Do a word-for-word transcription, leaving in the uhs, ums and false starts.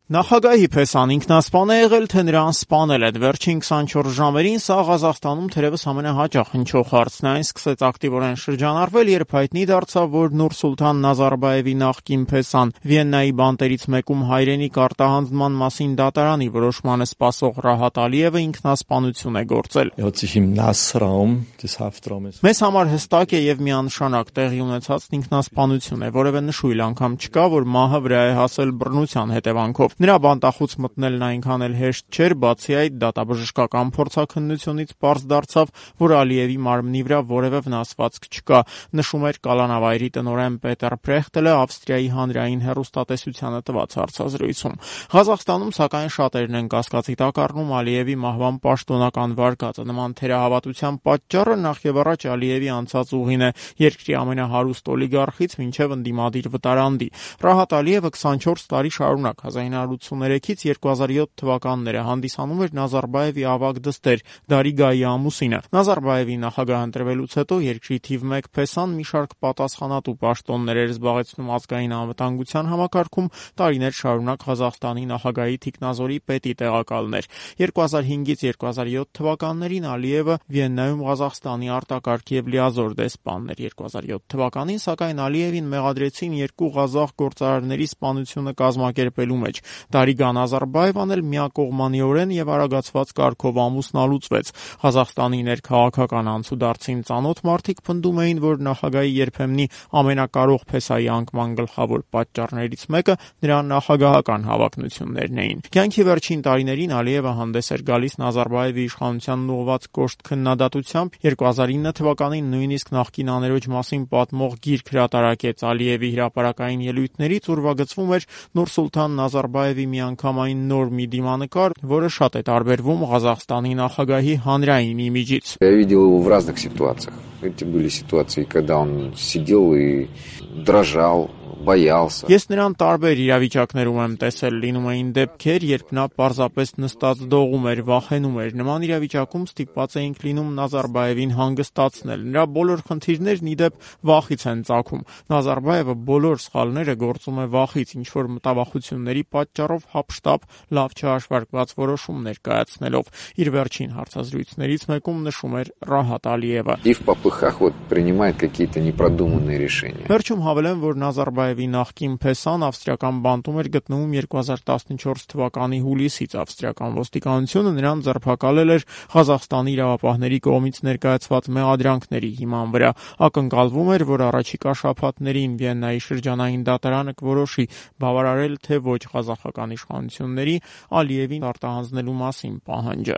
Նախագահի փեսան ինքնասպան է եղել, թե նրան սպանել են։ Վերջին քսանչորս ժամերին սա Ղազախստանում թերևս ամենահաճախ հնչող հարցն է։ Այն սկսեց ակտիվորեն շրջանառվել, երբ հայտնի դարձավ, որ Նուրսուլթան Նազարբաևի նախկին փեսան Վիեննայի բանտերից մեկում հայրենիք արտահանձնման մասին դատարանի որոշմանը սպասող Ռահատ Ալիևը ինքնասպանություն է գործել։ Մեզ համար հստակ է եւ միանշանակ տեղի ունեցածն ինքնասպանություն է, որևէ նշույլ անգամ չկա, որ մահը վրա է հասել բռնության հետևանքով։ Նրա բանտախուց մտնելն այնքան էլ հեշտ չէր, բացի այդ դատաբժշկական փորձաքննությունից պարզ դարձավ, որ Ալիևի մարմնի վրա որևէ վնասվածք չկա, նշում էր կալանավայրի տնօրեն Պետեր Պրեխտելը Ավստրիայի հանրային հեռուստատեսությանը տված հարցազրույցում։ Ղազախստանում, սակայն, շատերն են կասկածի տակ առնում Ալիևի մահվան պաշտոնական վարկածը։ Նման թերահավատության պատճառը նախ եւ առաջ Ալիևի անցած ուղին է՝ երկրի ամենահարուստ օլիգարխից մինչև ընդդիմադիր վտարանդի։ Ռահատ Ալիևը քսանչորս տարի շարունակ հազար ինը հարյուր ութսուներեքից երկու հազար յոթ թվականները հանդիսանում էր Նազարբաևի ավագ դստեր Դարիգայի ամուսինը։ Նազարբաևի նախագահ ընտրվելուց հետո երկրի թիվ մեկ փեսան մի շարք պատասխանատու պաշտոններ էր զբաղեցնում ազգային անվտանգության համակարգում, տարիներ շարունակ Ղազախստանի նախագահի թիկնազորի պետի տեղակալն էր։ երկու հազար հինգից երկու հազար յոթ թվականներին Ալիևը Վիեննայում Ղազախստանի արտակարգ եւ լիազոր դեսպանն էր։ երկու հազար յոթ թվականին, սակայն, Ալիևին մեղադրեցին երկու ղազախ գործարարների սպանությունը կազմակերպելու մեջ։ Դարիգա Նազարբաևան էլ միակողմանիորեն եւ արագացված կարգով ամուսնալուծվեց։ Ղազախստանի ներքաղաքական անցուդարձին ծանոթ մարդիկ պնդում էին, որ նախագահի երբեմնի ամենակարող փեսայի անկման գլխավոր պատճառներից մեկը նրա նախագահական հավակնություններն էին։ Կյանքի վերջին տարիներին Ալիևը հանդես էր գալիս Նազարբաևի իշխանությանն ուղղված կոշտ քննադատությամբ։ երկու հազար ինը թվականին նույնիսկ նախկին աներոջ մասին պատմող գիրք հրատարակեց Ալիևի հրապարակային ելույթներից, ուրվագծվում էր Նուրսուլթան Նազարբաևի միանգամայն նոր մի դիմանկար, որը շատ է տարբերվում Ղազախստանի նախագահի հանրային իմիջից։ Я видел его в разных ситуациях. Эти были ситуации, когда он сидел и дрожал, боялся. Ես նրան տարբեր իրավիճակներում եմ տեսել, լինում էին դեպքեր, երբ նա պարզապես նստած դողում էր, վախենում էր։ Նման իրավիճակում ստիպված էինք լինում Նազարբաևին հանգստացնել։ Նրա բոլոր խնդիրներն ի դեպ վախից են ծագում։ Նազարբաևը բոլոր սխալները գործում է վախից, ինչ որ մտավախությունների պատճառով հափշտապ լավ չհաշվարկված որոշումներ կայացնելով։ Իր վերջին հարցազրույցներից մեկում նշում էր Ռահատ Ալիևը։ И в попыхах вот принимает какие-то непродуманные решения. Վերջում հավելեմ, որ Նազարբաևի նախկին փեսան ավստրիական բանտում էր գտնվում երկու հազար տասնչորս թվականի հուլիսից։ Ավստրիական ոստիկանությունը նրան ձերբակալել էր Ղազախստանի իրավապահների կողմից ներկայացված մեղադրանքների հիման վրա։ Ակնկալվում էր, որ առաջիկա շաբաթներին Վիեննայի շրջանային դատարանը կորոշի բավարարել թե ոչ ղազախական իշխանությունների Ալիևին արտահանձնելու մասին պահանջը։